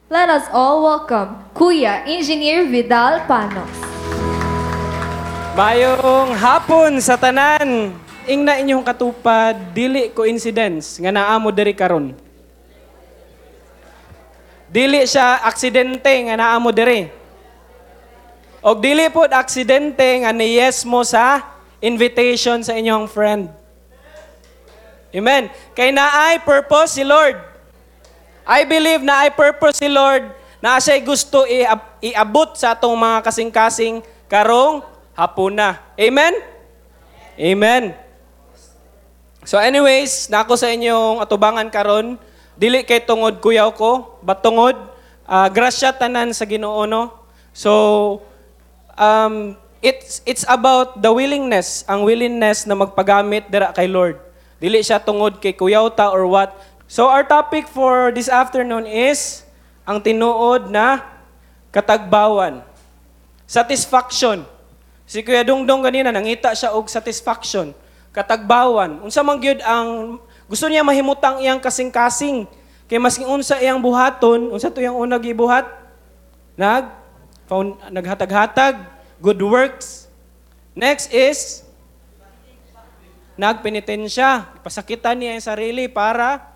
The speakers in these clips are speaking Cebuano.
Let us all welcome Kuya Engineer Vidal Panos. Maayong hapon sa tanan. Ingna inyong katupad, dili coincidence nga naa mo diri karon. Dili siya aksidente nga naa mo diri. Og dili pod aksidente nga ni yes mo sa invitation sa inyong friend. Amen. Kay naay purpose si Lord. I believe naay purpose si Lord na siya'y gusto iabot sa atong mga kasing-kasing karong hapuna. Amen? Amen. So anyways, nako sa inyong atubangan karon, dili kay tungod kuyaw ko, but tungod grasya tanan sa Ginoo, no. So it's about the willingness, ang willingness na magpagamit dira kay Lord. Dili siya tungod kay kuyaw ta or what. So our topic for this afternoon is ang tinuod na katagbawan. Satisfaction. Si Kuya Dongdong ganina nangita siya og satisfaction, katagbawan. Unsa man gyud ang gusto niya mahimutang iyang kasing-kasing? Kay masking unsa iyang buhaton, unsa to iyang una gibuhat? Naghatag-hatag, good works. Next is nagpenitensya, pasakitan niya ang sarili para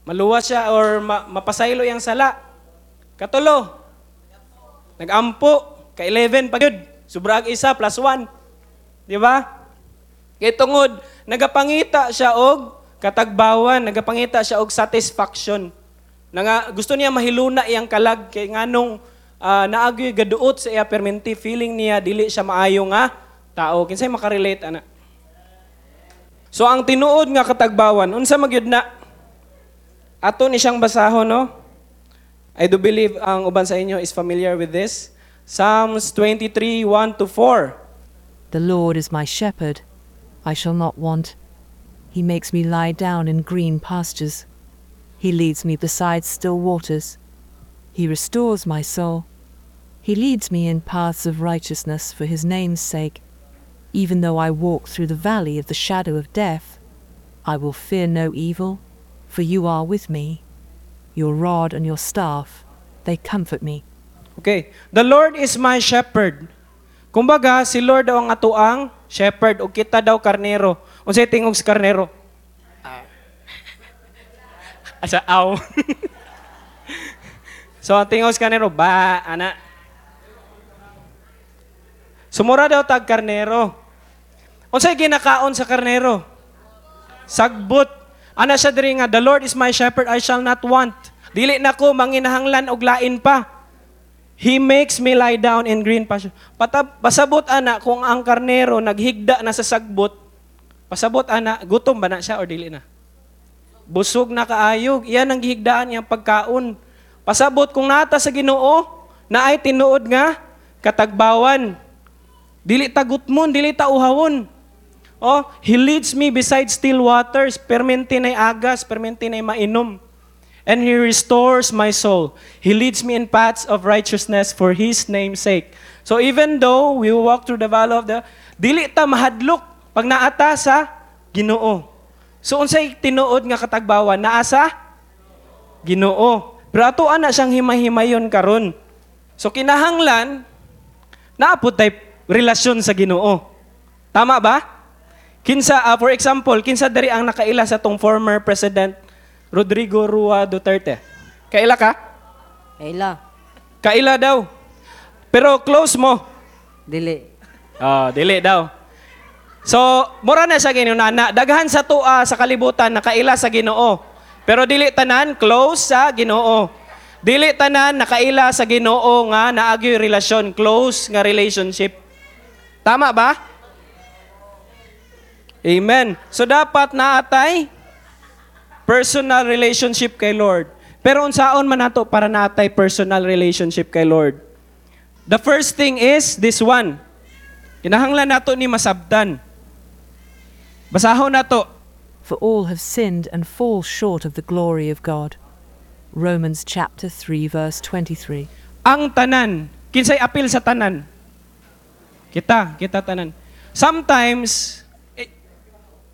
maluwas siya or mapasaylo iyang sala. Katulo, nagampo, ka-11 pa gyud. Sobrang isa plus 1. Di ba? Kay tungod nagapangita siya og katagbawan, nagapangita siya og satisfaction. Nga gusto niya mahiluna iyang kalag kay nganong naagyoy gaduot sa iya perminti, feeling niya dili siya maayo nga tao. Kinsay makarelate ana? So ang tinuod nga katagbawan, unsa magyud na? Ato ni siyang basahon, no? I do believe ang uban sa inyo is familiar with this. Psalms 23, 1 to 4. The Lord is my shepherd, I shall not want. He makes me lie down in green pastures. He leads me beside still waters. He restores my soul. He leads me in paths of righteousness for his name's sake. Even though I walk through the valley of the shadow of death, I will fear no evil, for you are with me. Your rod and your staff, they comfort me. Okay. The Lord is my shepherd. Kumbaga, si Lord daw ang atoang shepherd ug kita daw karnero. Unsay tingog sa karnero? Asa aw. So ang tingog sa karnero ba ana. Sumura daw tag karnero. Unsay ginakaon sa karnero? Sagbot. Ana siya diri nga, "The Lord is my shepherd, I shall not want." Dili na ko manginahanglan og lain pa. He makes me lie down in green pasture. Pasabot ana kung ang karnero naghigda na sa sagbot, pasabot ana, gutom ba na siya or dili na? Busog na kaayog. Iyan ang gihigdaan niyang pagkaon. Pasabot kung nata sa Ginoo, naay tinuod nga katagbawan. Dili ta gutmon, dili ta uhawon. Oh, He leads me beside still waters. Permente na'y agas, permente na'y mainom. And He restores my soul. He leads me in paths of righteousness for His name's sake. So even though we walk through the valley of the, dili ta mahadlok pag naata sa Ginoo. So unsay tinuod nga katagbawan? Naa sa Ginoo. Pero ato ana siyang himay-himayon karon. So kinahanglan naa pod tay relasyon sa Ginoo. Tama ba? Kinsa for example, kinsa diri ang nakaila sa tong former president Rodrigo Roa Duterte? Kaila ka? Kaila. Kaila daw. Pero close mo? Dili. Oh, dili daw. So, mura na siya Ginoo na daghan sa tua sa kalibutan nakaila sa Ginoo. Pero dili tanan close sa Ginoo. Dili tanan nakaila sa Ginoo nga naagyoy relasyon, close nga relationship. Tama ba? Amen. So dapat naatay personal relationship kay Lord. Pero unsaon man nato para naatay personal relationship kay Lord? The first thing is this one. Kinahanglan nato ni masabtan. Basahon nato. For all have sinned and fall short of the glory of God. Romans chapter 3 verse 23. Ang tanan. Kinsay apil sa tanan? Kita, kita tanan. Sometimes,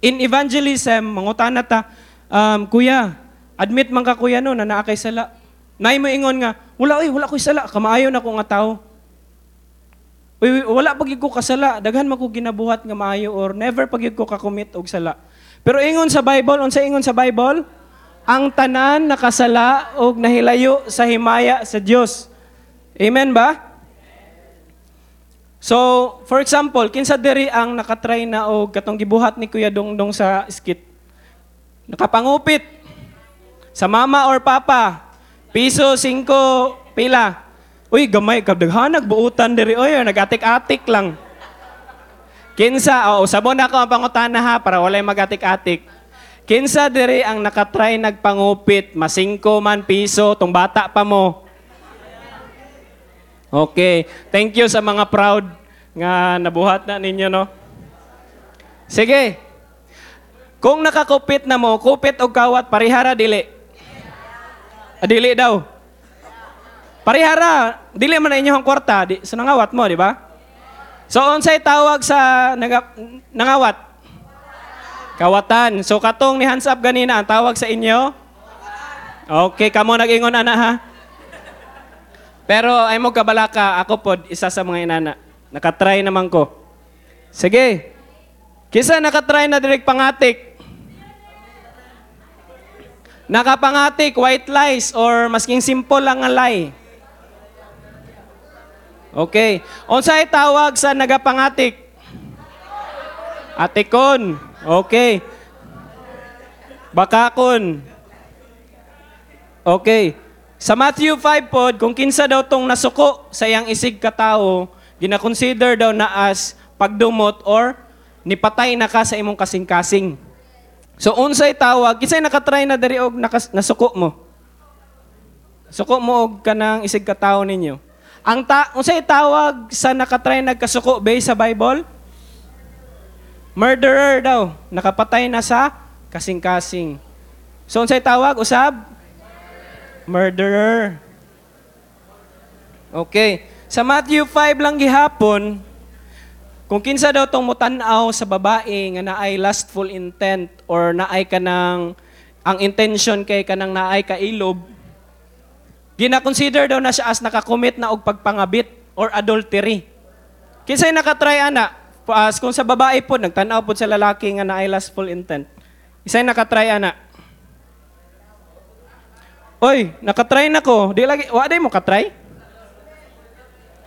in evangelism, mangutana ta, "Kuya, admit man ka, kuya, no, na naa kay sala." Nay mo ingon nga, wala oy, wala ko'y sala, kamaayo na ko nga tao. Uy, wala pa gyud ko kasala, daghan man ko ginabuhat nga maayo or never pa gyud ko ka-commit og sala. Pero ingon sa Bible, unsa ingon sa Bible? Ang tanan nakasala og nahilayo sa himaya sa Dios. Amen ba? So, for example, kinsa diri ang nakatry na og katong gibuhat ni Kuya Dongdong sa skit? Nakapangupit sa mama or papa, piso, 5, pila. Uy, gamay, kadaghanag buutan diri oy, nagatik-atik lang. Kinsa, oo, sabon ako ang pangutana ha, para walay magatik-atik. Kinsa diri ang nakatry nagpangupit, masingko man piso, tung bata pa mo. Okay, thank you sa mga proud nga nabuhat na ninyo, no? Sige. Kung nakakupit na mo, kupit og kawat, parihara dili. Dili daw. Parihara, dili man na inyong kwarta, di, so nangawat mo, di ba? So unsay tawag sa nangawat? Kawatan. So katong ni hands up ganina, ang tawag sa inyo? Okay, kamo nag-ingon ana ha. Pero ay mo kabalaka, ako pod isa sa mga inana. Nakatry naman ko. Sige. Kisa nakatry na direk pangatik? Nakapangatik, white lies, or masking simple lang nga lie. Okay. Unsay tawag sa nagapangatik? Atikon. Okay. Bakakon. Okay. Sa Matthew 5 pod, kung kinsa daw tong nasuko sa iyang isig katao, gina-consider daw na as pagdumot or nipatay na ka sa imong kasing-kasing. So unsay tawag, kinsay nakatry na diri og nasuko mo? Suko mo og kanang isig katao ninyo. Ang unsay tawag sa nakatry nagkasuko based sa Bible? Murderer daw, nakapatay na sa kasing-kasing. So unsay tawag usab? Murderer. Okay. Sa Matthew 5 lang gihapon, kung kinsa daw tong mutan-aw sa babae nga naay lustful intent or naay kanang ang intention kay kanang naay kailob, gina-consider daw na siya as nakakommit na og pagpangabit or adultery. Kinsay nakatry ana? As kung sa babae po nagtan-aw pod sa lalaki nga naay lustful intent. Isay nakatry ana? Oy, nakatry na ko. Di lagi, wa day mo katry?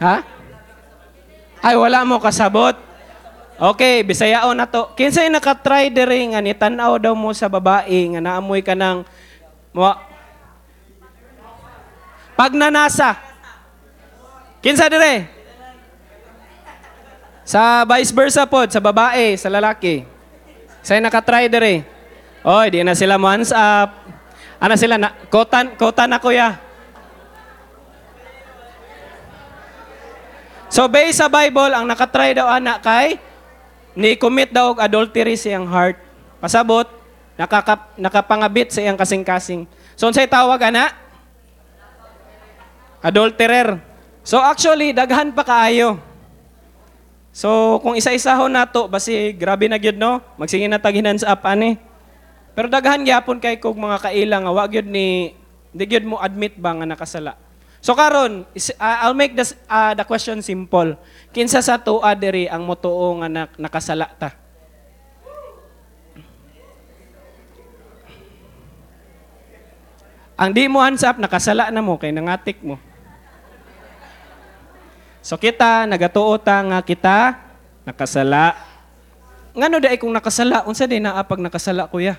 Ha? Ay, wala mo kasabot. Okay, bisayaon na to. Kinsay nakatry diri nga nitan-aw daw mo sa babae nga naamoy ka ng pagnanasa. Kinsa dire? Sa vice versa pod, sa babae, sa lalaki. Say nakatry dire. Oy, di na sila mo hands up. Ana sila na kotan na kuya. So based sa Bible, ang nakatry daw ana kay ni commit daw og adultery sa iyang heart. Pasabot, nakapangabit sa iyang kasing-kasing. So unsay tawag ana? Adulterer. So actually daghan pa kaayo. So kung isa-isahon nato basi grabe na gyud no, magsige na tag hands up ani. Pero daghan gyapon kay kog mga kaila nga wa gyud ni di gyud mo admit ba nga nakasala. So karon, I'll make this, the question simple. Kinsa sa tuwa diri ang motuo nga nakasala ta? Ang di mo hands up, nakasala na mo kay nangatik mo. So kita nagatuo ta nga kita nakasala. Ngano di ay kung nakasala, unsa di naa pag nakasala kuya?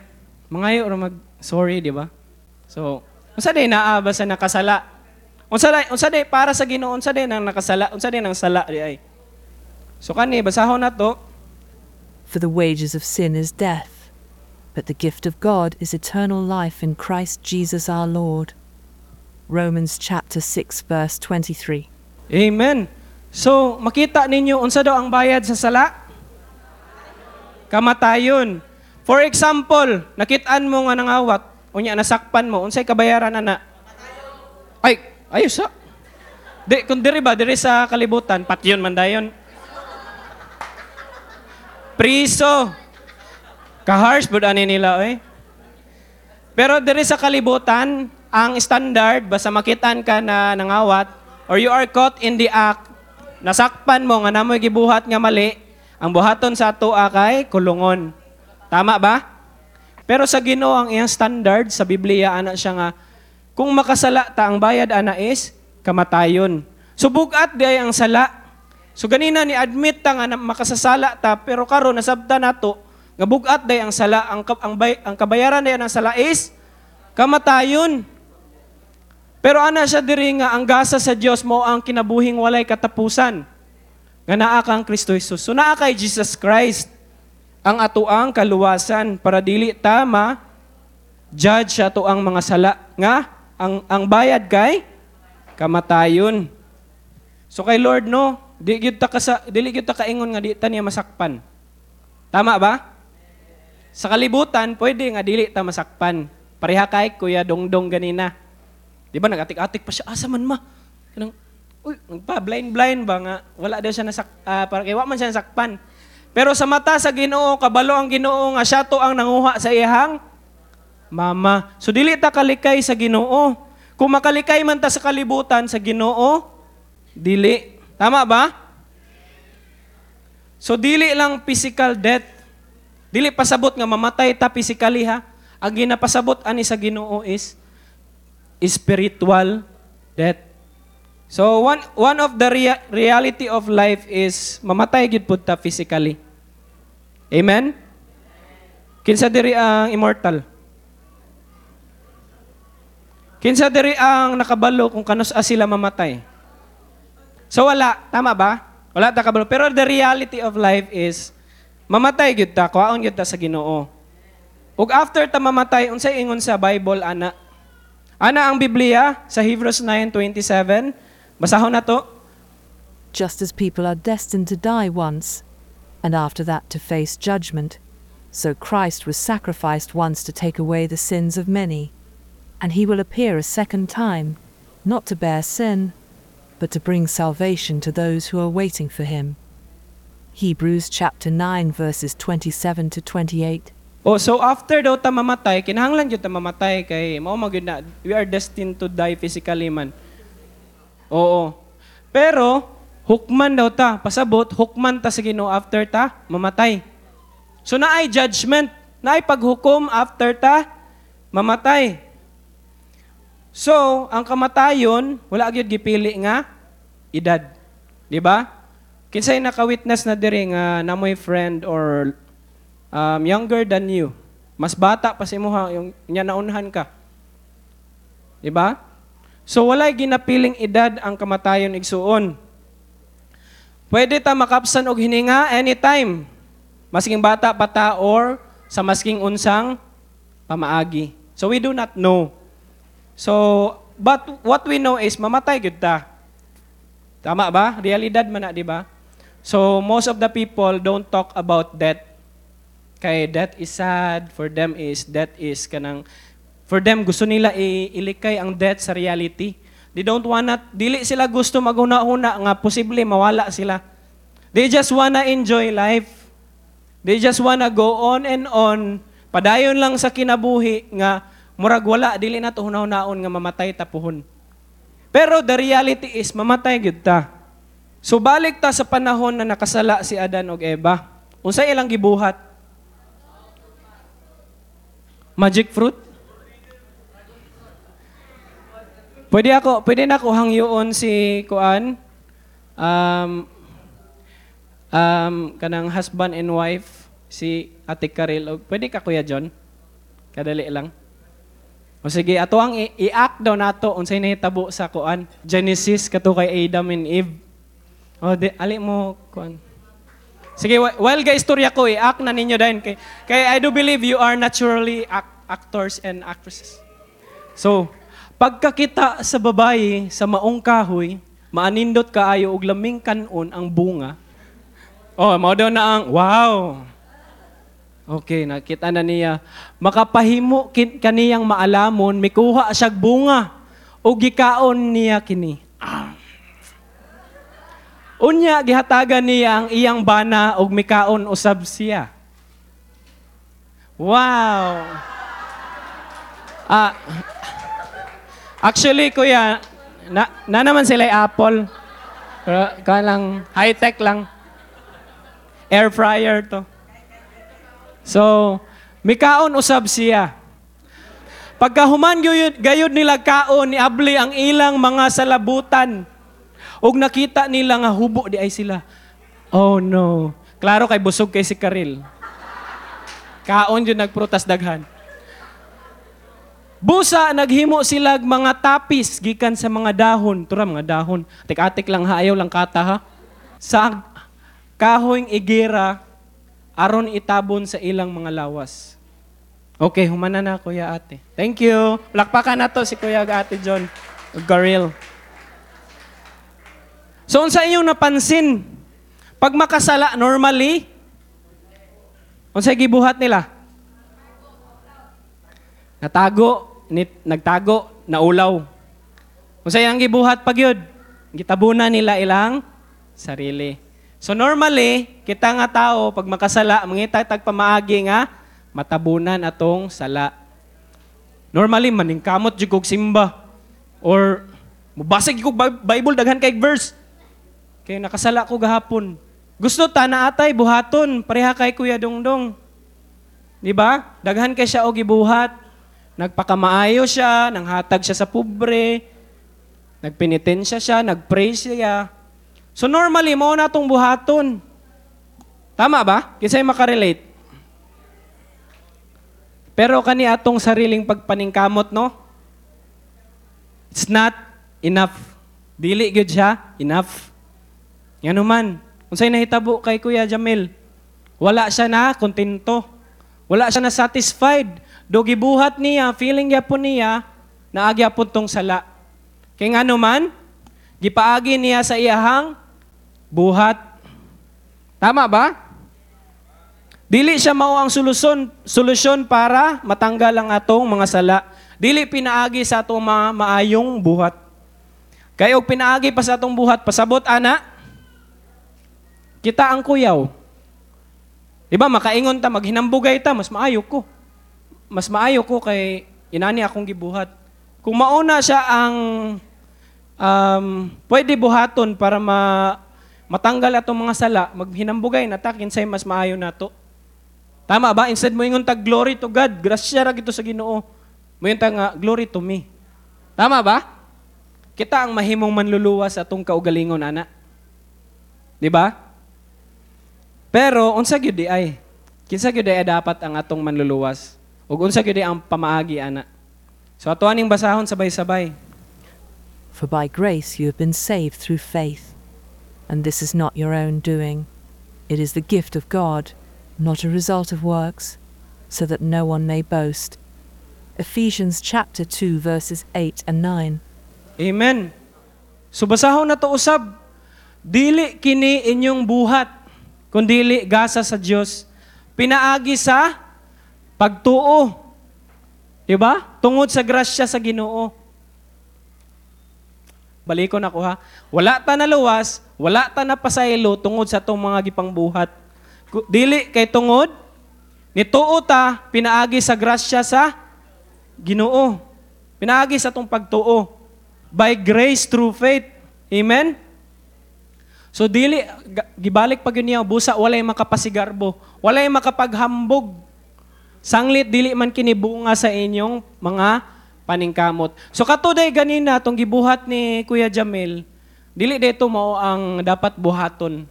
Mangayo ra mag sorry, di ba? So, unsa di naa ba sa nakasala? Unsa di para sa Ginoo, unsa di nang nakasala, unsa di nang sala di ay? So kani basahon nato. For the wages of sin is death, but the gift of God is eternal life in Christ Jesus our Lord. Romans chapter 6 verse 23. Amen. So makita ninyo unsa daw ang bayad sa sala? Kamatayon. For example, nakitaan mo nga nangawat, unya nasakpan mo, unsay kabayaran ana? Ay, ayos sa. Di kung diri ba diri sa kalibutan, patyon man dayon. Priso. Ka-harsh bud ani nila oy. Pero diri sa kalibutan, Ang standard, basta makitaan ka na nangawat, or you are caught in the act, nasakpan mo nga namoy gibuhat nga mali, ang buhaton sa atoa kay kulungon. Tama ba? Pero sa Ginoo ang iyang standard sa Biblia, ana siya nga kung makasala ta, ang bayad ana is kamatayon. So bugat di ay ang sala. So ganina ni admit ta nga makasasala ta, pero karon nasabta nato nga bugat day ang sala, ang kabayaran day ang sala is kamatayon. Pero ana siya diri nga ang gasa sa Dios mo ang kinabuhing walay katapusan nga naa kang Kristo Jesus. So naa kay Jesus Christ ang atoang kaluwasan para dili ta ma judge ato ang mga sala nga ang bayad kay kamatayon. So kay Lord, no, di gyud ta dili gyud ta kaingon nga di ta niya masakpan. Tama ba? Sa kalibutan pwede nga dili ta masakpan. Pareha kay Kuya Dongdong ganina. Di ba nagatik-atik pa siya, asa man ma? Kanang uy, nagpa blind blind ba nga wala daw siya para kay wa man siya nasakpan. Pero sa mata sa Ginoo, kabalo ang Ginoo nga siya to ang nanguha sa iyang mama. So dili ta kalikay sa Ginoo. Kung makalikay man ta sa kalibutan, sa Ginoo dili. Tama ba? So dili lang physical death. Dili pasabot nga mamatay ta physically ha. Ang ginapasabot ani sa Ginoo is spiritual death. So one one of the reality of life is mamatay gyud pud ta physically. Amen? Kinsa diri ang immortal? Kinsa diri ang nakabalo kung kanus-a sila mamatay? So wala, tama ba? Wala ta kabalo. Pero the reality of life is mamatay gyud ta, kuhaon gyud ta sa Ginoo. Ug after ta mamatay, unsay ingon sa Bible ana? Ana ang Biblia sa Hebrews 9:27. Basahon na to. Just as people are destined to die once, and after that to face judgment, so Christ was sacrificed once to take away the sins of many. And he will appear a second time, not to bear sin, but to bring salvation to those who are waiting for him. Hebrews chapter 9 verses 27 to 28. Oh, so after daw ta mamatay, kinahanglan gyud ta mamatay kay mao man gyud na we are destined to die physically man. Oo. Pero hukman daw ta, pasabot hukman ta sa Ginoo after ta mamatay. So naay judgment, naay paghukom after ta mamatay. So, ang kamatayon, wala gyud gipili nga edad. Di ba? Kinsay naka-witness na diri nga namoy friend or younger than you? Mas bata pa sa imuha, yung nya naunhan ka. Di ba? So walay ginapiling edad ang kamatayon, igsuon. Pwede ta makapsan og hininga anytime. Masking bata pa ta or sa masking unsang pamaagi. So we do not know. So, but what we know is mamatay gyud ta. Tama ba? Realidad man na, di ba? So most of the people don't talk about death. Kay death is sad, for them is death is kanang, for them gusto nila ilikay ang death sa reality. They don't wanna, dili sila gusto maghuna-huna nga posible mawala sila. They just wanna enjoy life. They just wanna go on and on. Padayon lang sa kinabuhi nga murag wala, dili na to huna-hunaon nga mamatay ta puhon. Pero the reality is mamatay gyud ta. So balik ta sa panahon na nakasala si Adan ug Eva. Unsay ilang gibuhat? Magic fruit? Pwede na ako hangyoon si kuan, kanang husband and wife si Ate Karil. O, pwede ka, Kuya John? Kadali lang. O sige, ato ang i-act daw nato unsay nahitabo sa kuan Genesis kato kay Adam and Eve. O di ali mo kuan. Sige, while guys istorya ko, i-act na ninyo din kay I do believe you are naturally actors and actresses. So, pagkakita sa babayi sa maong kahoy, maanindot kaayo og laming kanon ang bunga. Oh, mao daw na ang wow. Okay, nakita na niya. Makapahimo kaniyang maalamon, mikuha siyag bunga ug gikaon niya kini. Unya gihatagan niya ang iyang bana ug mikaon usab siya. Wow. Actually, kuya, na naman sila apple. Pero kaya lang, high-tech lang. Air fryer to. So, mikaon usab siya. Pagkahuman gayud nila kaon, niabli ang ilang mga salabutan. Ug nakita nila nga hubo di ay sila. Oh no. Klaro kay busog kay si Karil. Kaon yun nagprutas daghan. Busa naghimo sila mga tapis gikan sa mga dahon. Tura mga dahon. Atik-atik lang ha, ayaw lang kata ha. Sa kahoyng igera aron itabon sa ilang mga lawas. Okay, humana na kuya ate. Thank you. Plakpakan na to si kuya ate John. Garil. So unsa inyong napansin? Pag makasala normally, unsay gibuhat nila? Natago, nagtago, naulaw. Unsay ang gibuhat pag yun? Gitabunan nila ilang sarili. So normally, kita nga tao, pag makasala, mangita tag pamaagi nga, matabunan atong sala. Normally, maningkamot jud kog simba. Or, mubasa jud kog Bible, daghan kay verse. Kay nakasala ko gahapon. Gusto ta na atay buhaton, pareha kay Kuya Dongdong. Di ba? Daghan kay siya og gibuhat. Nagpakamaayo siya, nanghatag siya sa pobre, nagpenitensya siya, nagpray siya. So normally, mao na atong buhaton. Tama ba? Kinsay makarelate? Pero kani atong sariling pagpaningkamot, no? It's not enough. Dili gyud siya enough. Ngano man, unsay nahitabo kay Kuya Jamil? Wala siya na kontento. Wala siya na satisfied. Do gibuhat niya, feeling gyapon niya, naagya pud tong sala. Kay ngano man, gipaagi niya sa iyahang buhat. Tama ba? Dili siya mao ang solusyon para matanggal ang atong mga sala. Dili pinaagi sa atong mga maayong buhat. Kay og pinaagi pa sa atong buhat, pasabot ana, kita ang kuyaw. Di ba, makaingon ta, maghinambugay ta, mas maayo ko. Mas maayo ko kay inani akong gibuhat. Kung mauna siya ang pwede buhaton para matanggal atong mga sala, maghinambugay na ta, kinsay mas maayo nato. Tama ba? Instead mo ingon ta, glory to God, grasya ra gito sa Ginoo. Moingon ta nga, glory to me. Tama ba? Kita ang mahimong manluluwas sa atong kaugalingon, ana. Di ba? Pero unsa gyud di ay? Kinsa gyud ay dapat ang atong manluluwas? Ug unsa gyud ang pamaagi ana? So ato aning basahon sabay-sabay. For by grace you have been saved through faith, and this is not your own doing. It is the gift of God, not a result of works, so that no one may boast. Ephesians chapter 2 verses 8 and 9. Amen. So basahon na to usab. Dili kini inyong buhat, kundili gasa sa Dios. Pinaagi sa pagtuo. Diba? Tungod sa grasya sa Ginoo. Balikon ako ha. Wala ta naluwas, wala ta napasaylo tungod sa atong mga gipangbuhat. Dili kay tungod nituo ta pinaagi sa grasya sa Ginoo. Pinaagi sa atong pagtuo. By grace through faith. Amen? So dili gibalik pag yun niya busa walay makapasigarbo, walay makapaghambog. Sanglit dili man kini bunga sa inyong mga paningkamot. So katuday ganina tong gibuhat ni Kuya Jamil, dili dito mao ang dapat buhaton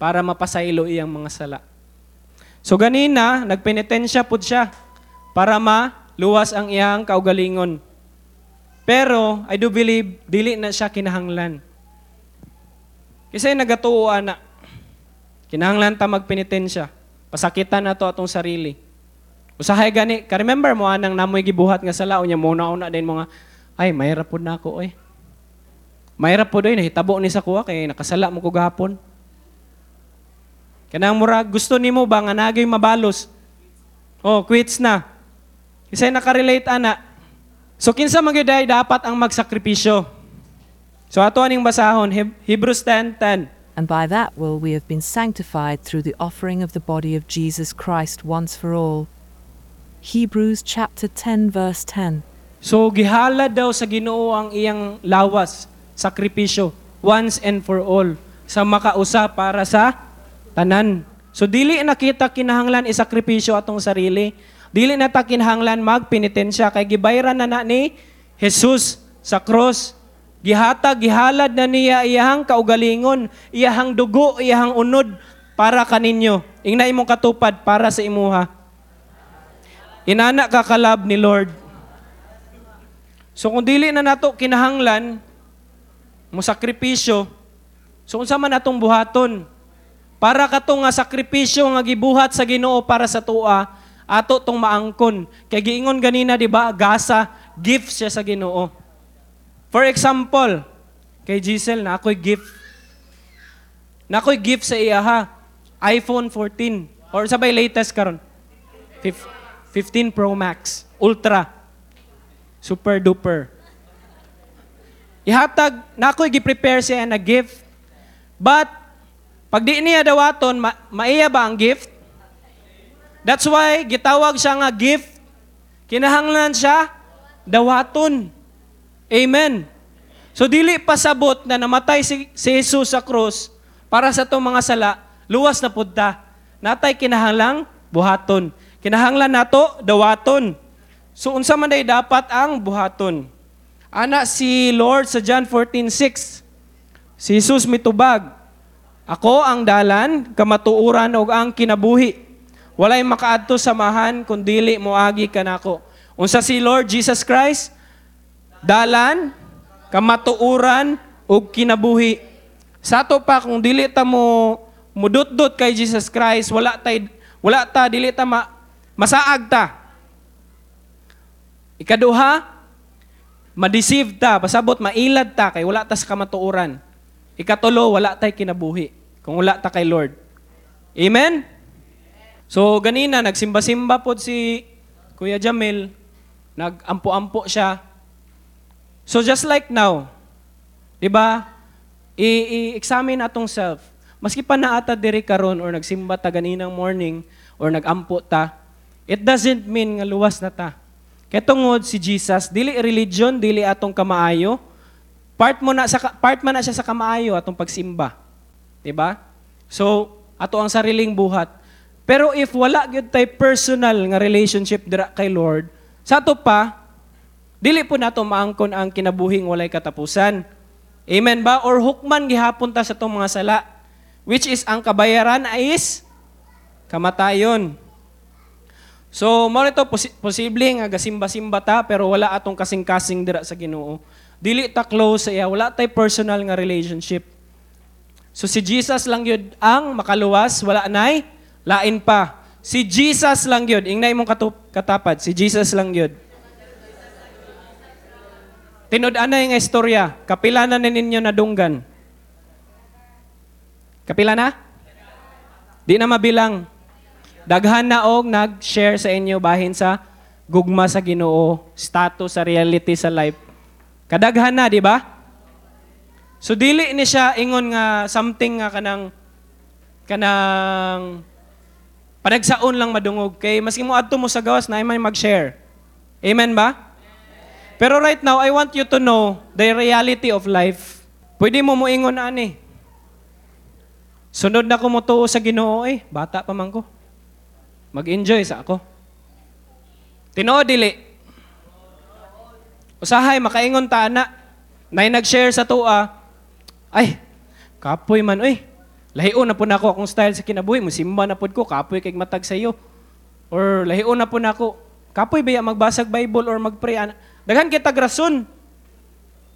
para mapasaylo iyang mga sala. So ganina nagpenitensya pud siya para maluwas ang iyang kaugalingon. Pero I do believe dili na siya kinahanglan. Kasi nagatuo ana. Kinahanglan ta magpenitensya. Pasakitan nato atong sarili. Usahay gani, ka-remember mo anang namoy gibuhat nga sala unya mo na din mga ay mahirap pud na ako oy. Mahirap pud oy nahitabo ni sa kuha kay nakasala mo ko gahapon. Kanang murag gusto nimo ba nga nagay mabalos? Oh, quits na. Kasi nakarelate ana. So kinsa man gyud ay dapat ang magsakripisyo? So ato aning basahon Hebrews 10:10. And by that will we have been sanctified through the offering of the body of Jesus Christ once for all. Hebrews chapter 10 verse 10. So gihalad daw sa Ginoo ang iyang lawas, sakripisyo, once and for all, sa makausa para sa tanan. So dili na kita kinahanglan isakripisyo atong sarili. Dili na ta kinahanglan magpenitensya kay gibayran na na ni Jesus sa cross. Gihatag, gihalad na niya iyahang kaugalingon, iyahang dugo, iyahang unod para kaninyo. Ingna imong katupad para sa imuha. Inana ka kalab ni Lord. So kung dili na nato kinahanglan mo sakripisyo, so unsa man atong buhaton? Para kato nga sakripisyo nga gibuhat sa Ginoo para sa tua, ato tong maangkon. Kay giingon ganina, di ba, gasa, gift siya sa Ginoo. For example, kay Giselle na ako'y gift. Na ako'y gift sa iya ha. iPhone 14 or sabay latest karon. 15 Pro Max Ultra. Super duper. Ihatag na ako'y gi-prepare siya na gift. But pag di niya dawaton, maiya ba ang gift? That's why gitawag siya nga gift. Kinahanglan siya dawaton. Amen. So dili pasabot na namatay si Jesus sa cross para sa itong mga sala, luwas na pud ta. Natay kinahanglang buhaton. Kinahanglan nato dawaton. So unsa man day dapat ang buhaton? Ana si Lord sa John 14:6. Si Jesus mitubag, "Ako ang dalan, kamatuoran ug ang kinabuhi. Walay makaadto sa Amahan kun dili moagi kanako." Unsa si Lord Jesus Christ? Dalan, kamatuoran ug kinabuhi. Sa ato pa kung dili ta mo mudutdot kay Jesus Christ, wala ta dili ta masaag ta. Ikaduha, ma-deceive ta, pasabot mailad ta kay wala ta sa kamatuoran. Ikatulo, wala tay kinabuhi kung wala ta kay Lord. Amen? So ganina nagsimba-simba pod si Kuya Jamil, nag-ampo-ampo siya. So just like now, di ba? I-examine atong self. Maski pa naata diri karon or nagsimba ta ganinang morning or nagampo ta, it doesn't mean nga luwas na ta. Kay tungod si Jesus, dili religion, dili atong kamaayo. Part man na siya sa kamaayo atong pagsimba. Di ba? So ato ang sariling buhat. Pero if wala gyud tay personal nga relationship dira kay Lord, sa ato pa dili po nato maangkon ang kinabuhing walay katapusan. Amen ba? Or hukman gihapon ta sa itong mga sala, which is ang kabayaran is kamatayon. So, mao nito posible nga gasimba-simba ta pero wala atong kasing-kasing dira sa Ginoo. Dili ta close sa iya, wala tay personal nga relationship. So si Jesus lang yun ang makaluwas, wala nay lain pa. Si Jesus lang yun. Ingna imong katapad, si Jesus lang yun. Tinud-anay nga istorya, kapila na ninyo nadunggan? Kapila na? Di na mabilang. Daghan na og nag-share sa inyo bahin sa gugma sa Ginoo, status sa reality sa life. Kadaghan na, di ba? So dili ni siya ingon nga something nga kanang panagsaon lang madungog kay maski mo adto mo sa gawas na may mag-share. Amen ba? Pero right now, I want you to know the reality of life. Pwede mo moingon ani. Sunod na ko motuo sa Ginoo eh, bata pa man ko. Mag-enjoy sa ako. Tinuod dili. Usahay makaingon ta ana. Nay nag-share sa tuwa. Ay, kapoy man oy. Lahion na po nako akong style sa kinabuhi, musimba na pod ko, kapoy kay matag sa iyo. Or lahion na po nako, kapoy baya magbasag Bible or magpray ana. Daghan kitag rason.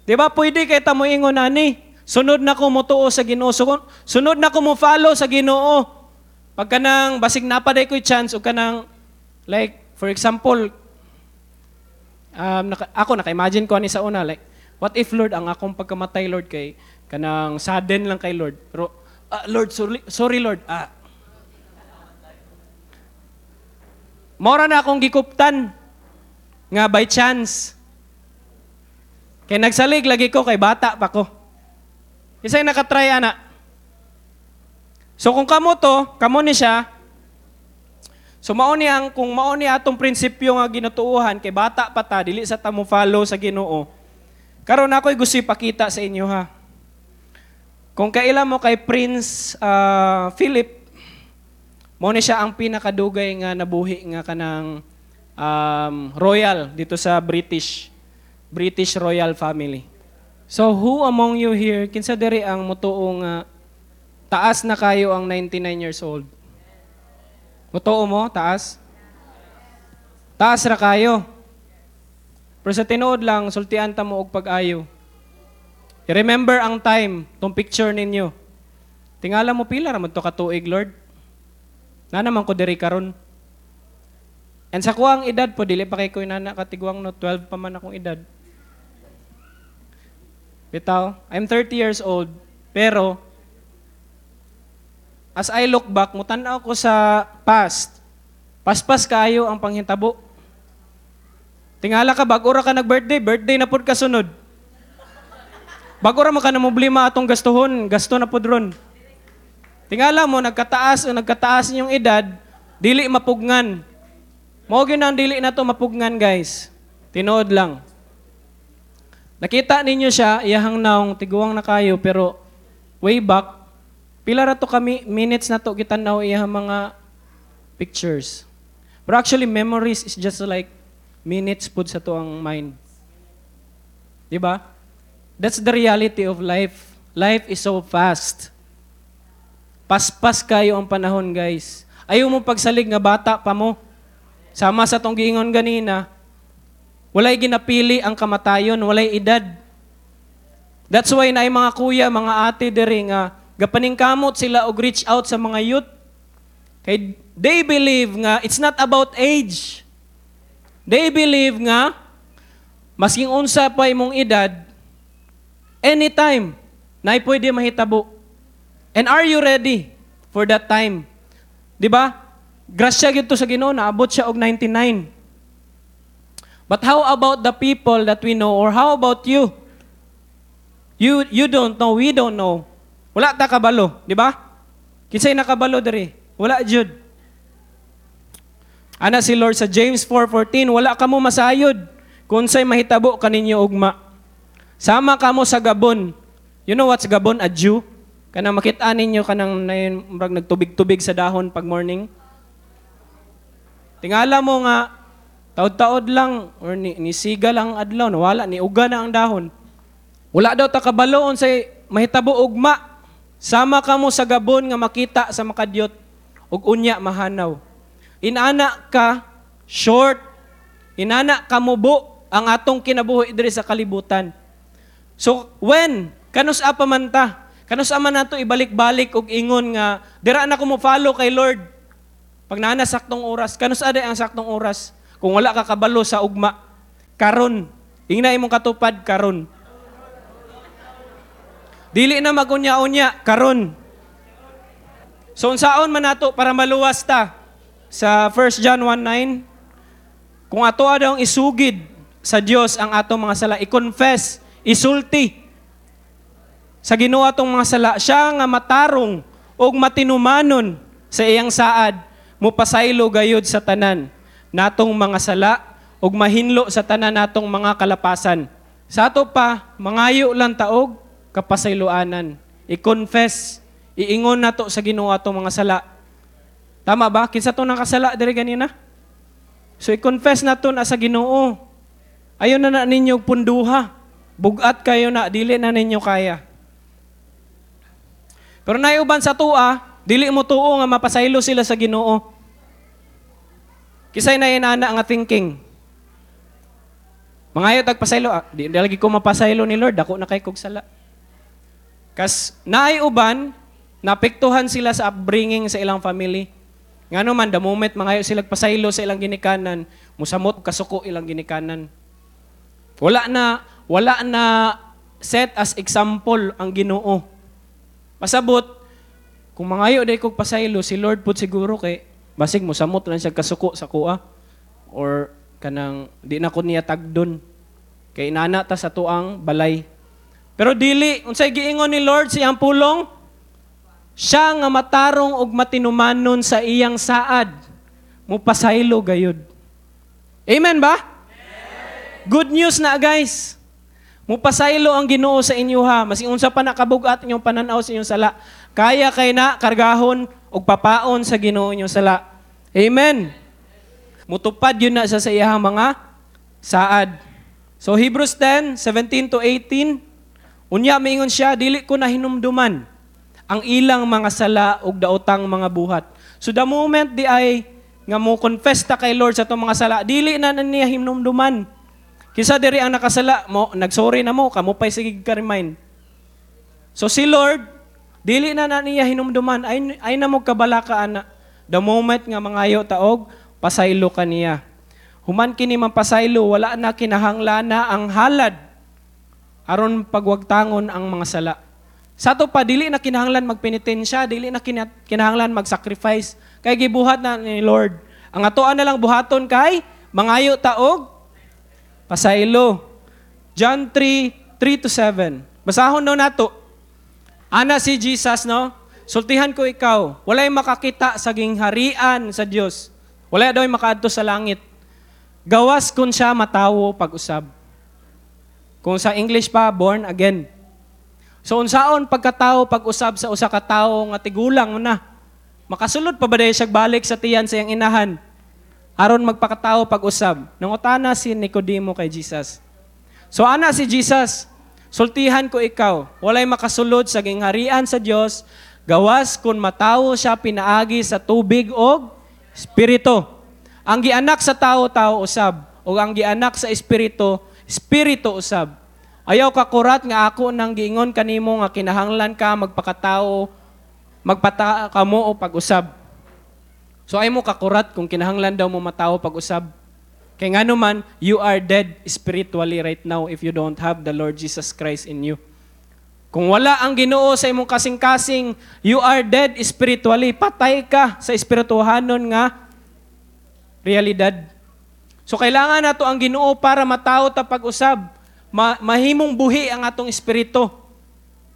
Di ba pwede kay ta moingon ani? Sunod na ko motuo sa Ginoo. Sunod na ko mo follow sa Ginoo. Pagka nang basig napaday ko'y chance o kanang like for example ako naka-imagine ko ani sa una like what if Lord ang akong pagkamatay Lord kay kanang sudden lang kay Lord. Pero Lord sorry Lord. Mora na akong gikuptan nga by chance. Kay nagsalig lagi ko kay bata pa ko. Isay nakatry ana. So kung kamo to, kamo ni siya. So mao ni ang kung mao ni atong prinsipyo nga ginatuohan kay bata pa ta, dili sa ta mo follow sa Ginoo. Karon ako'y gusto ipakita sa inyo ha. Kung kaila mo kay Prince Philip, mao ni siya ang pinakadugay nga nabuhi nga kanang royal dito sa British British royal family. So who among you here, kinsa diri ang motuo nga taas na kayo ang 99 years old? Motuo mo, taas? Taas ra kayo. Pero sa tinuod lang, sultian ta mo og pag-ayo. I-remember ang time, tong picture ninyo. Tingala mo pila ra man to ka tuig, Lord. Na naman ko diri karon. And sa kuang edad po, dili pa kay ko inana katigwang no, 12 pa man akong edad. Bitaw, I'm 30 years old, pero as I look back, mutan-aw ko sa past. Paspas kayo ang panghitabo. Tingala ka, bago ra ka nag-birthday, birthday na pud kasunod. Bago ra man ka na problema atong gastuhon, gasto na pud ron. Tingala mo, nagkataas o nagkataas inyong edad, dili mapugngan. Mao gyud ang dili na to mapugngan, guys. Tinuod lang. Nakita ninyo siya, iyahang naong, tiguang na kayo, pero way back, pila ra to kami, minutes na to gitan-aw iyahang mga pictures. But actually, memories is just like minutes pud sa to ang mind. Di ba? That's the reality of life. Life is so fast. Paspas kayo ang panahon, guys. Ayaw mo pagsalig nga bata pa mo. Sama sa tong giingon ganina, walay ginapili ang kamatayon, walay edad. That's why naay mga kuya, mga ate diri nga gapaningkamot sila og reach out sa mga youth. Kay they believe nga it's not about age. They believe nga masking unsa pa imong edad, anytime na pwede mahitabo. And are you ready for that time? Di ba? Grasya gyud to sa Ginoo, naabot siya og 99. But how about the people that we know, or how about you? You don't know, we don't know. Wala ta kabalo, di ba? Kinsay nakabalo diri? Wala jud. Ana si Lord sa James 4:14, wala kamo masayod kung unsay mahitabo kaninyo ugma. Sama kamo sa gabon. You know what's gabon? A dew. Kanang makita ninyo kanang nayon murag nagtubig-tubig sa dahon pag morning. Tingala mo nga taod-taod lang or ni siga lang ang adlaw, nawala ni uga na ang dahon. Wala daw ta kabalo unsay mahitabo ugma. Sama kamo sa gabon nga makita sa makadyot ug unya mahanaw. Inana ka short, inana ka mubo ang atong kinabuhi diri sa kalibutan. So when kanus pa man ta, kanus man nato ibalik-balik og ingon nga dira na ko mo follow kay Lord. Pag naa na saktong oras, kanus aday ang saktong oras? Kung wala ka kabalo sa ugma, karon, ingna imong katupad karon. Dili na magunya-unya karon. So unsaon man nato para maluwas ta? Sa 1 John 1:9, kung ato daw ang isugid sa Dios ang atong mga sala, i-confess, isulti sa Ginoo atong mga sala, siya nga matarong ug matinumanon sa iyang saad, mupasaylo gayud sa tanan natong mga sala ug mahinlo sa tanan natong mga kalapasan. Sa ato pa, mangayo lang taog kapasayloanan. I-confess, iingon nato sa Ginoo atong mga sala. Tama ba? Kinsa to nakasala diri ganina? So i-confess nato na sa Ginoo. Ayon na na ninyo punduha. Bugat kayo na, dili na ninyo kaya. Pero naiuban sa tua, dili mo tuo nga mapasaylo sila sa Ginoo. Kisay na inana nga thinking. Mangayo tag pasaylo, di lagi ko mapasaylo ni Lord, dako na kay kog sala. Kas naay uban, napektuhan sila sa upbringing sa ilang family. Ngano man, the moment mangayo sila pasaylo sa ilang ginikanan, musamot kasuko ilang ginikanan. Wala na set as example ang Ginoo. Pasabot, kung mangayo day kog pasaylo, si Lord pud siguro kay basig musamot lang siya kasuko sa kuha or kanang di na ko niya tagdon. Kay inana ta sa tuang balay. Pero dili, unsay giingon ni Lord sa iyang pulong? Siya nga matarong og matinumanon sa iyang saad. Mupasaylo gayud. Amen ba? Good news na, guys. Mupasaylo ang Ginoo sa inyo ha. Masing unsa pa nakabugat inyong pananaw sa inyong sala. Kaya kay na kargahon og papaon sa Ginoo inyong sala. Amen. Mutupad yun na siya sa iyahang mga saad. So Hebrews 10:17 to 18, unya miingon siya, dili ko na hinumduman ang ilang mga sala ug daotang mga buhat. So the moment di ay nga mo confess ta kay Lord sa atong mga sala, dili na na niya hinumduman. Kinsa diri ang nakasala mo, nagsorry na mo, kamo pa'y sige ka remind. So si Lord, dili na na niya hinumduman, ay na mo kabalaka ana. The moment nga mangayo taog, pasaylo ka niya. Human kini man pasaylo, wala na kinahanglan na ang halad aron pagwagtangon ang mga sala. Sa ato pa, dili na kinahanglan magpenitensya, dili na kinahanglan mag-sacrifice. Kay gibuhat na ni Lord. Ang atoan na lang buhaton kay mangayo taog pasaylo. John 3, 3 to 7. Basahon daw nato. Ana si Jesus, no? Sultihan ko ikaw, walay makakita sa gingharian sa Dios. Wala daw makaadto sa langit. Gawas kun siya matawo pag-usab. Kung sa English pa, born again. So unsaon pagkatao pag-usab sa usa ka tawo nga tigulang na? Makasulod pa ba dahil siya balik sa tiyan sa iyang inahan? Aron magpakatao pag-usab. Nangutana si Nicodemo kay Jesus. So ana si Jesus, sultihan ko ikaw, walay makasulod sa gingharian sa Dios, gawas kun matawo siya pinaagi sa tubig og espiritu. Ang gianak sa tao, tao usab, ug ang gianak sa espiritu, espiritu usab. Ayaw ka kurat nga ako nang giingon kanimo nga kinahanglan ka magpakatao, magpata kamo o pag-usab. So ay mo kakurat kung kinahanglan daw mo matao pag-usab. Kay ngano man, you are dead spiritually right now if you don't have the Lord Jesus Christ in you. Kung wala ang Ginoo sa imong kasing-kasing, you are dead spiritually. Patay ka sa espirituhanon nga realidad. So kailangan nato ang Ginoo para matao ta pag-usab. Mahimong buhi ang atong espiritu.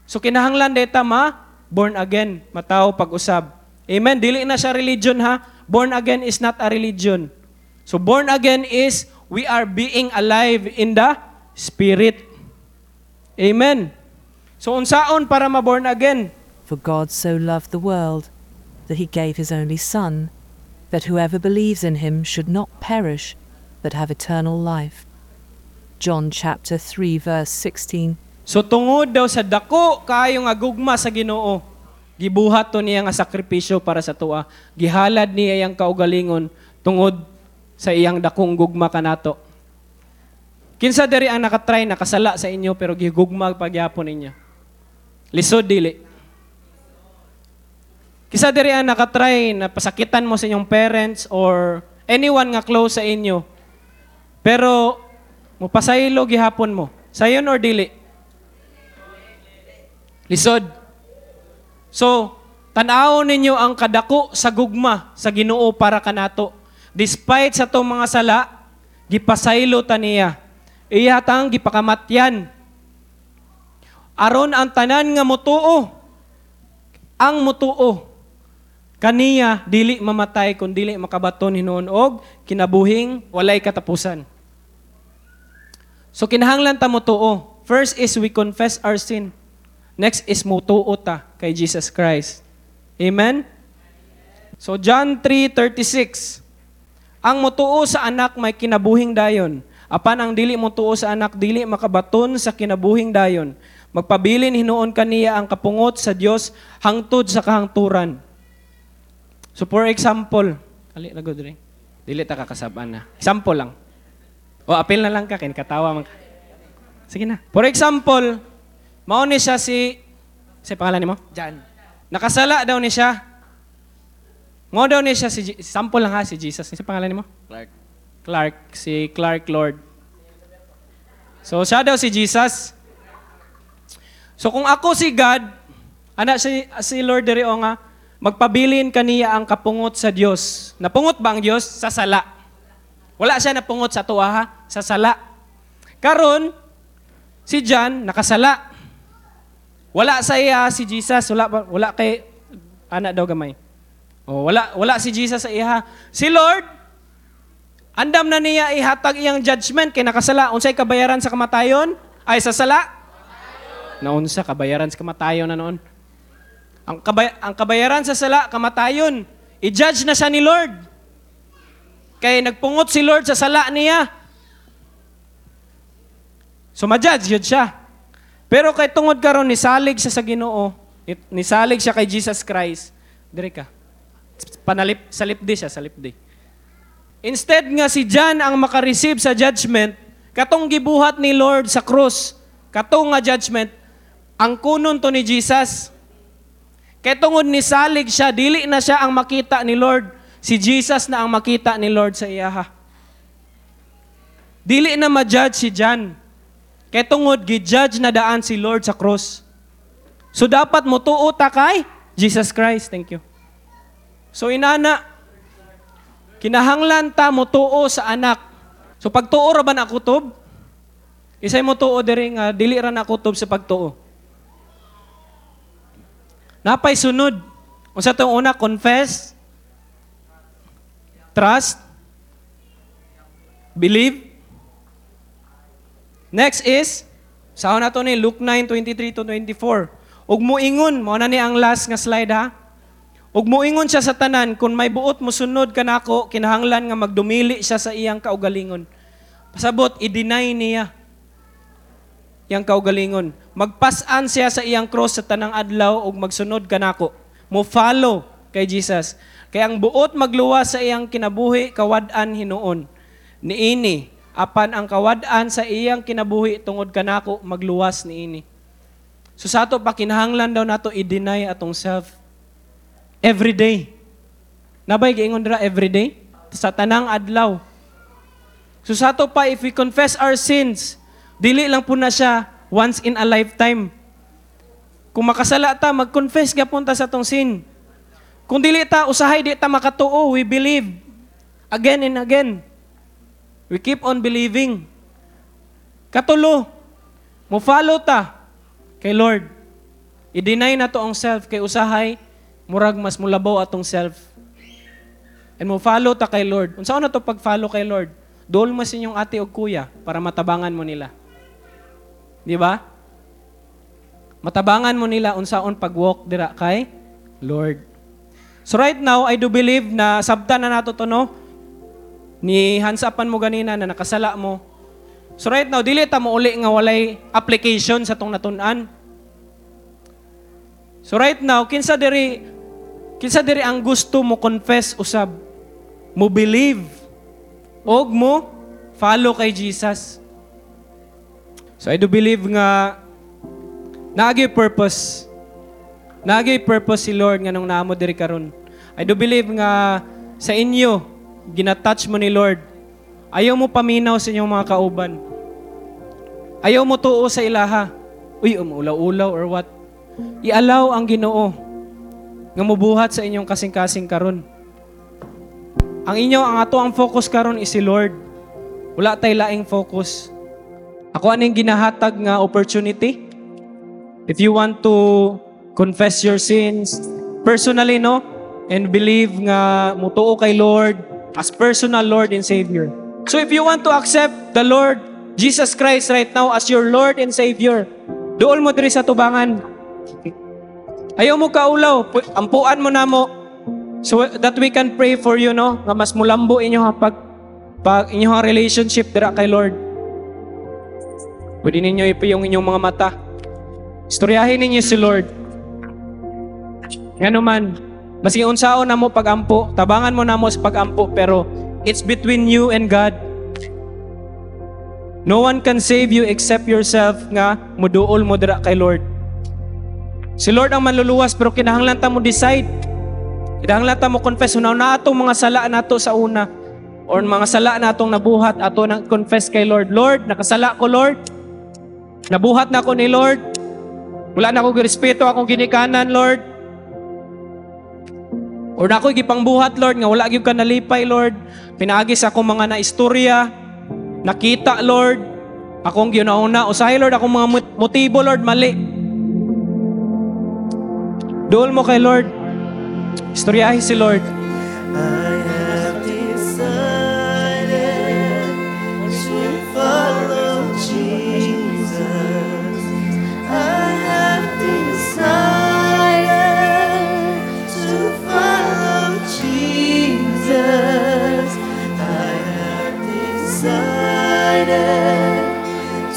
So kinahanglan deta ma born again, matao pag-usab. Amen. Dili na siya religion ha. Born again is not a religion. So born again is we are being alive in the spirit. Amen. So unsaon para ma-born again? For God so loved the world that he gave his only Son, that whoever believes in him should not perish, but have eternal life. John chapter 3 verse 16. So tungod daw sa dako kaayo nga gugma sa Ginoo, gibuhat to niya nga sakripisyo para sa tuwa. Gihalad niya iyang kaugalingon tungod sa iyang dakong gugma kanato. Kinsa diri ang nakatry nakasala sa inyo pero gigugma pagyapon ninyo? Lisod dili. Kinsa diri ang nakatry na pasakitan mo sa inyong parents or anyone nga close sa inyo pero mupasaylo gihapon mo. Sayon or dili? Lisod. So, tan-awon ninyo ang kadako sa gugma sa Ginoo para kanato. Despite sa tong mga sala, gipasaylo ta niya. Iya tang gipakamatyan. Aron ang tanan nga motuo, ang motuo kaniya dili mamatay kun dili makabaton hinuon og kinabuhing walay katapusan. So kinahanglan ta motuo. First is we confess our sin. Next is motuo ta kay Jesus Christ. Amen? So John 3:36. Ang motuo sa anak may kinabuhing dayon. Apan ang dili motuo sa anak dili makabaton sa kinabuhing dayon. Magpabilin hinuon kaniya ang kapungot sa Dios hangtod sa kahangturan. So for example, ali na gud rin. Dili ta kakasab-an na. Example lang. O apil na lang ka kay katawa man ka. Sige na. For example, mao ni siya si pangalan nimo? Jan. Nakasala daw ni siya. Mao daw ni siya si sample lang ha si Jesus. Sa pangalan nimo? Clark. Clark, si Clark Lord. So siya daw si Jesus. So kung ako si God, ana si Lord diri o nga magpabilin kaniya ang kapungot sa Dios. Napungot ba ang Dios sa sala? Wala siya napungot sa tuwa ha, sa sala. Karon si John nakasala. Wala sa iya si Jesus, wala kay ana daw gamay. Oh, wala wala si Jesus sa iha. Si Lord, andam na niya ihatag iyang judgment kay nakasala. Unsay kabayaran sa kamatayon? Ay, sa sala? Naunsa kabayaran sa kamatayon na noon. Ang kabayaran sa sala, kamatayon. I-judge na siya ni Lord. Kay nagpungot si Lord sa sala niya. So ma-judge yun siya. Pero kay tungod karon nisalig siya sa Ginoo, nisalig siya kay Jesus Christ. Dire ka. Panalip sa lipdi siya, sa lipdi. Instead nga si John ang makareceive sa judgment, katong gibuhat ni Lord sa krus, katong nga judgment, ang kunon to ni Jesus. Kay tungod nisalig siya, dili na siya ang makita ni Lord, si Jesus na ang makita ni Lord sa iyaha. Dili na ma-judge si John. Kay tungod gi-judge na daan si Lord sa krus. So dapat motuo ta kay Jesus Christ. Thank you. So inana, kinahanglan ta motuo sa anak. So pagtuo ra ba na kutob? Isay mo tuo diri nga dili ra na kutob sa pagtuo. Napay sunod. Unsa tong una? Confess, trust, believe. Next is, sa na to ni Luke 9:23 to 24. Ug moingon, mao na ni ang last nga slide ha. Ug moingon siya sa tanan, kung may buot mosunod kanako, kinahanglan nga magdumili siya sa iyang kaugalingon. Pasabot, i-deny niya iyang kaugalingon. Magpasan siya sa iyang cross sa tanang adlaw ug magsunod kanako. Mo follow kay Jesus. Kay ang buot magluwas sa iyang kinabuhi, kawad-an hinuon. Niini, apan ang kawad-an sa iyang kinabuhi tungod kanako, magluwas niini. So sa ato pa, kinahanglan daw nato i-deny atong self every day. Nabay giingon dira every day sa tanang adlaw. So sa ato pa, if we confess our sins, dili lang po na siya once in a lifetime. Kung makasala ta, mag-confess gyapon ta sa atong sin. Kung dili ta, usahay di ta makatuo, we believe again and again. We keep on believing. Katulo, mo follow ta kay Lord. I-deny na to ang self kay usahay murag mas mulabaw atong self. And mo follow ta kay Lord. Unsa na to pag-follow kay Lord? Dool mo sa inyong ate o kuya para matabangan mo nila. Di ba? Matabangan mo nila unsaon pag-walk dira kay Lord. So right now, I do believe na sabta na nato to, no? Ni hansapan mo ganina na nakasala mo. So right now, dili ta mo uli nga walay application sa tong natun-an. So right now, kinsa diri ang gusto mo confess usab, mo believe, og mo follow kay Jesus? So I do believe nga naagi purpose. Naagi purpose si Lord nga nung naamo diri karon. I do believe nga sa inyo gina-touch mo ni Lord. Ayaw mo paminaw sa inyong mga kauban. Ayaw mo tuo sa ilaha. Uy, umulaw-ulaw or what. I-allow ang Ginoo nga mubuhat sa inyong kasing-kasing karon. Ang ato ang focus karon is si Lord. Wala tay laing focus. Ako aning ginahatag nga opportunity. If you want to confess your sins personally, no? And believe nga mutuo kay Lord as personal Lord and Savior. So if you want to accept the Lord Jesus Christ right now as your Lord and Savior, duol mo diri sa tubangan. Ayaw mo kaulaw, ampuan mo na mo so that we can pray for you, no? Nga mas mulambo inyo pag pag inyong relationship dira kay Lord. Pwede ninyo ipiyong inyong mga mata. Istoryahin ninyo si Lord. Ngano man, maski unsaon na mo pagampo, tabangan mo na mo sa pagampo, pero it's between you and God. No one can save you except yourself nga muduol mo dira kay Lord. Si Lord ang manluluwas, pero kinahanglan ta mo decide. Kinahanglan ta mo confess una na atong mga sala nato sa una or mga sala natong nabuhat, ato nang confess kay Lord. "Lord, nakasala ko, Lord. Nabuhat na ako ni Lord. Wala na ako girespeto akong ginikanan, Lord. Or na ako gipangbuhat, Lord, nga wala gyud ka nalipay, Lord. Pinaagi sa akong mga naistorya, nakita, Lord, akong ginauna. Usahay, Lord, akong mga motibo, Lord, mali." Duol mo kay Lord. Istoryahe si Lord. I have decided to follow Jesus. I have decided to follow Jesus. I have decided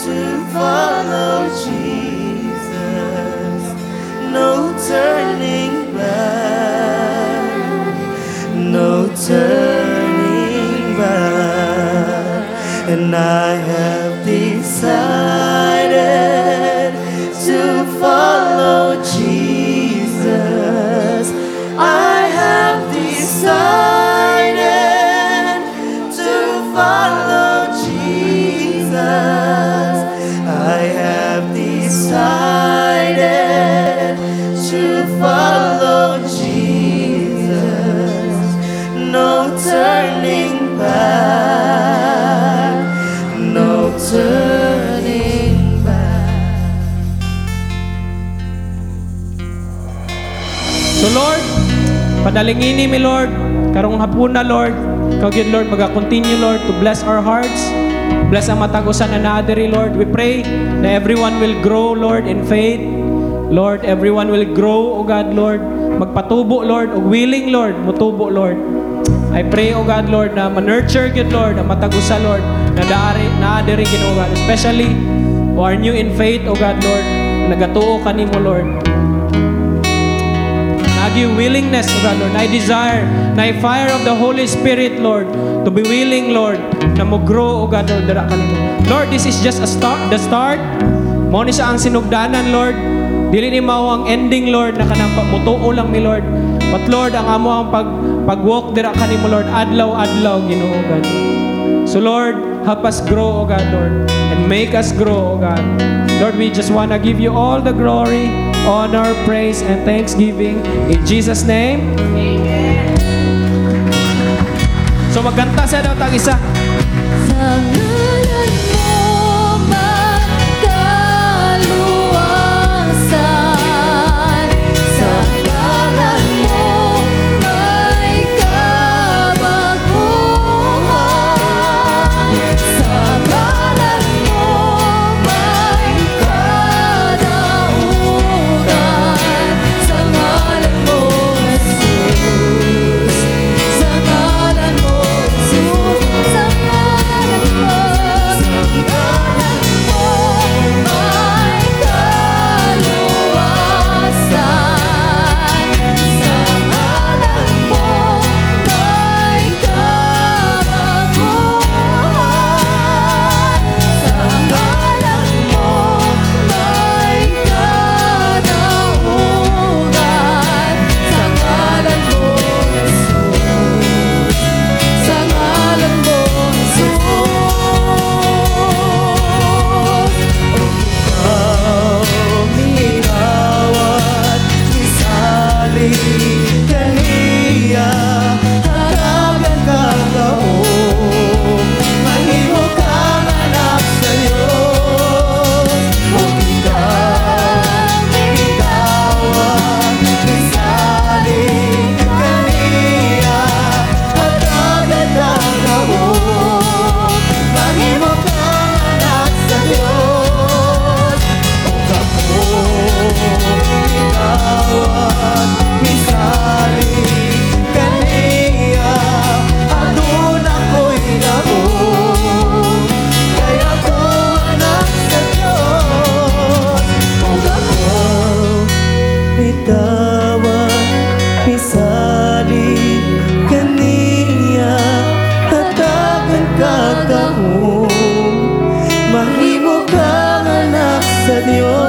to follow Jesus. No turning back, no turning back. And I have decided to follow Jesus. I have decided to follow Jesus. I have decided to follow Jesus. No turning back, no turning back. So Lord, padalingini mi Lord, karong hapuna Lord, ikaw gyud Lord, maga-continue Lord to bless our hearts, bless ang matag usa na naa diri Lord. We pray na everyone will grow Lord in faith. Lord, everyone will grow, O God Lord, magpatubo Lord, ug willing Lord, mutubo Lord. I pray, O God Lord, na ma-nurture gyud Lord ang matag usa Lord na naa diri Ginoo God, especially who are new in faith, O God Lord, na nagatuo kanimo Lord. Nagi willingness, O God, Lord. Na desire, na fire of the Holy Spirit, Lord, to be willing, Lord, na mo grow, O God, Lord, dira kanimo. Lord, this is just a start, the start. Mao ni siya ang sinugdanan, Lord. Dili ni mao ang ending, Lord, na kanang mutuo lang mi, Lord. But Lord, ang amo ang pag-walk dira kanimo, Lord, adlaw-adlaw, Ginoo, God. So Lord, help us grow, O God, Lord, and make us grow, O God. Lord, we just wanna give you all the glory, honor, praise, and thanksgiving. In Jesus' name. Amen. So magkanta siya daw tag isa. Sa ngalan mo magkaluwasan, sa ngalan mo may kabaguhan, sa ngalan mo may kadaugan, sa ngalan mo Jesus, sa ngalan mo Jesus, sa ngalan mo, sa ngalan mo may kaluwasan, sa ngalan mo may kabaguhan, sa ngalan mo may kadaugan, sa ngalan mo Jesus, sa ngalan mo Jesus. Ikaw at misali kaniya, hatagan ka gahom, mahimo kang anak sa Diyos. Ug ikaw at misali kaniya, hatagan ka gahom, mahimo kang anak sa Diyos. Ug ako, ikaw at misali kaniya, aduna ko'y gahom, kay ako anak sa Diyos. Ug ako, ikaw at misali kaniya, hatagan ka gahom, mahimo kang anak sa Diyos.